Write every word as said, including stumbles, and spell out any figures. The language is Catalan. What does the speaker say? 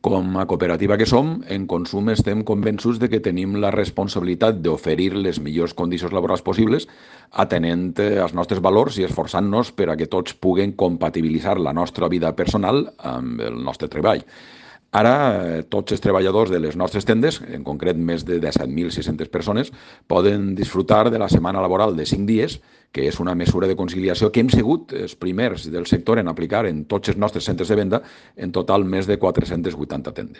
Com a cooperativa que som, en Consum estem convençuts de que tenim la responsabilitat d'oferir les millors condicions laborals possibles, atenent als nostres valors i esforçant-nos per a que tots puguen compatibilitzar la nostra vida personal amb el nostre treball. Ara, tots els treballadors de les nostres tendes, en concret més de disset mil sis-centes persones, poden disfrutar de la setmana laboral de cinc dies, que és una mesura de conciliació que hem sigut els primers del sector en aplicar en tots els nostres centres de venda, en total més de quatre-centes vuitanta tendes.